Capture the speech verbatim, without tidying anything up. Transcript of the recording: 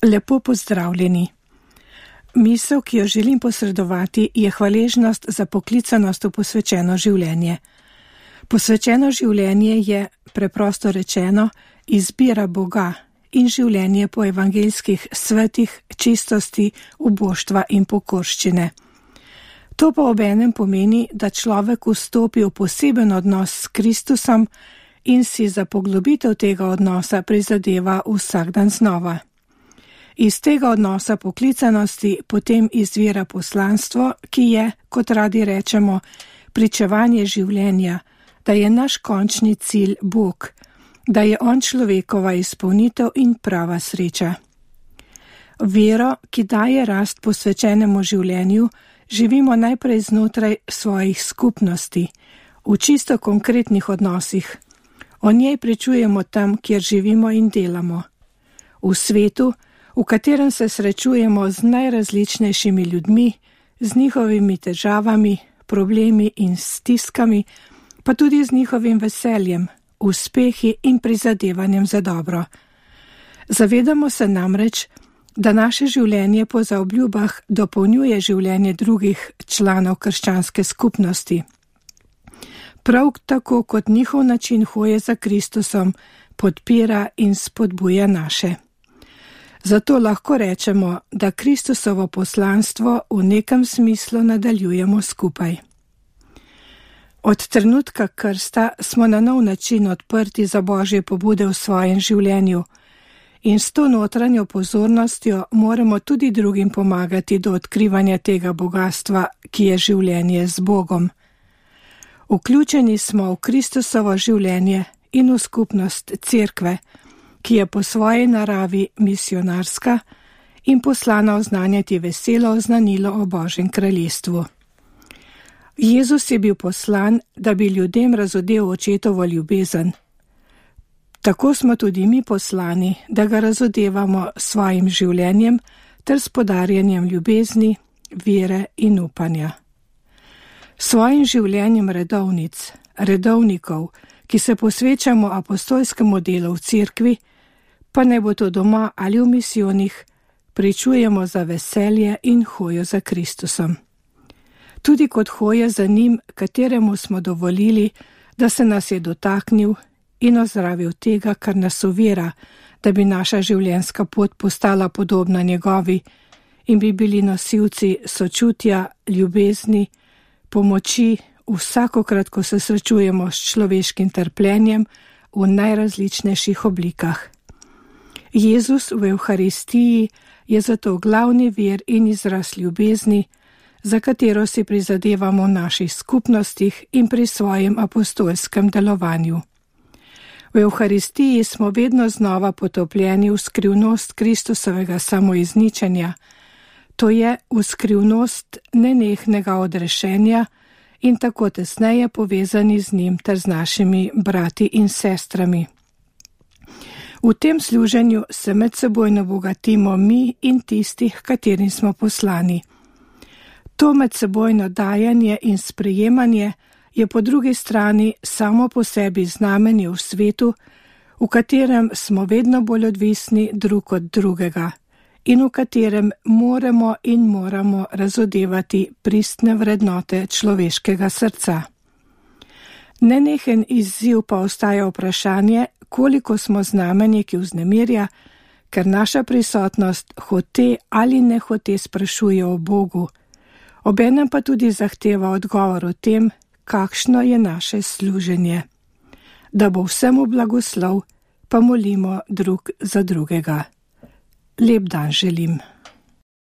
Lepo pozdravljeni. Misel, ki jo želim posredovati, je hvaležnost za poklicanost v posvečeno življenje. Posvečeno življenje je, preprosto rečeno, izbira Boga in življenje po evangeljskih svetih, čistosti, uboštva in pokorščine. To pa obenem pomeni, da človek vstopi v poseben odnos s Kristusom in si za poglobitev tega odnosa prizadeva vsak dan znova. Iz tega odnosa poklicanosti potem izvira poslanstvo, ki je, kot radi rečemo, pričevanje življenja, da je naš končni cilj Bog, da je On človekova izpolnitev in prava sreča. Vero, ki daje rast posvečenemu življenju, živimo najprej znotraj svojih skupnosti, v čisto konkretnih odnosih. O njej pričujemo tam, kjer živimo in delamo. V svetu, v katerem se srečujemo z najrazličnejšimi ljudmi, z njihovimi težavami, problemi in stiskami, pa tudi z njihovim veseljem, uspehi in prizadevanjem za dobro. Zavedamo se namreč, da naše življenje po zaobljubah dopolnjuje življenje drugih članov krščanske skupnosti. Prav tako kot njihov način hoje za Kristusom podpira in spodbuja naše. Zato lahko rečemo, da Kristusovo poslanstvo v nekem smislu nadaljujemo skupaj. Od trenutka krsta smo na nov način odprti za Božje pobude v svojem življenju in s to notranjo pozornostjo moramo tudi drugim pomagati do odkrivanja tega bogastva, ki je življenje z Bogom. Vključeni smo v Kristusovo življenje in v skupnost cerkve, ki je po svoji naravi misionarska in poslana oznanjati veselo oznanilo o Božjem kraljestvu. Jezus je bil poslan, da bi ljudem razodel očetovo ljubezen. Tako smo tudi mi poslani, da ga razodevamo s svojim življenjem ter s podarjanjem ljubezni, vere in upanja. Svojim življenjem redovnic, redovnikov, ki se posvečamo apostolskemu delu v cerkvi, pa ne bo to doma ali v misijonih, pričujemo za veselje in hojo za Kristusom. Tudi kot hoje za njim, kateremu smo dovolili, da se nas je dotaknil in ozdravil tega, kar nas ovira, da bi naša življenjska pot postala podobna njegovi in bi bili nosilci sočutja, ljubezni, pomoči vsakokrat, ko se srečujemo s človeškim trpljenjem v najrazličnejših oblikah. Jezus v Evharistiji je zato glavni vir in izraz ljubezni, za katero si prizadevamo v naših skupnostih in pri svojem apostolskem delovanju. V Evharistiji smo vedno znova potopljeni v skrivnost Kristusovega samoizničenja, to je v skrivnost nenehnega odrešenja in tako tesneje povezani z njim ter z našimi brati in sestrami. V tem služenju se medsebojno bogatimo mi in tistih, katerim smo poslani. To medsebojno dajanje in sprejemanje je po drugi strani samo po sebi znamenje v svetu, v katerem smo vedno bolj odvisni drug od drugega in v katerem moramo in moramo razodevati pristne vrednote človeškega srca. Nenehen izziv pa ostaja vprašanje, koliko smo znamenje, ki vznemirja, ker naša prisotnost hote ali ne hote sprašuje o Bogu, obenem pa tudi zahteva odgovor o tem, kakšno je naše služenje. Da bo vsemu blagoslov, pa molimo drug za drugega. Lep dan želim.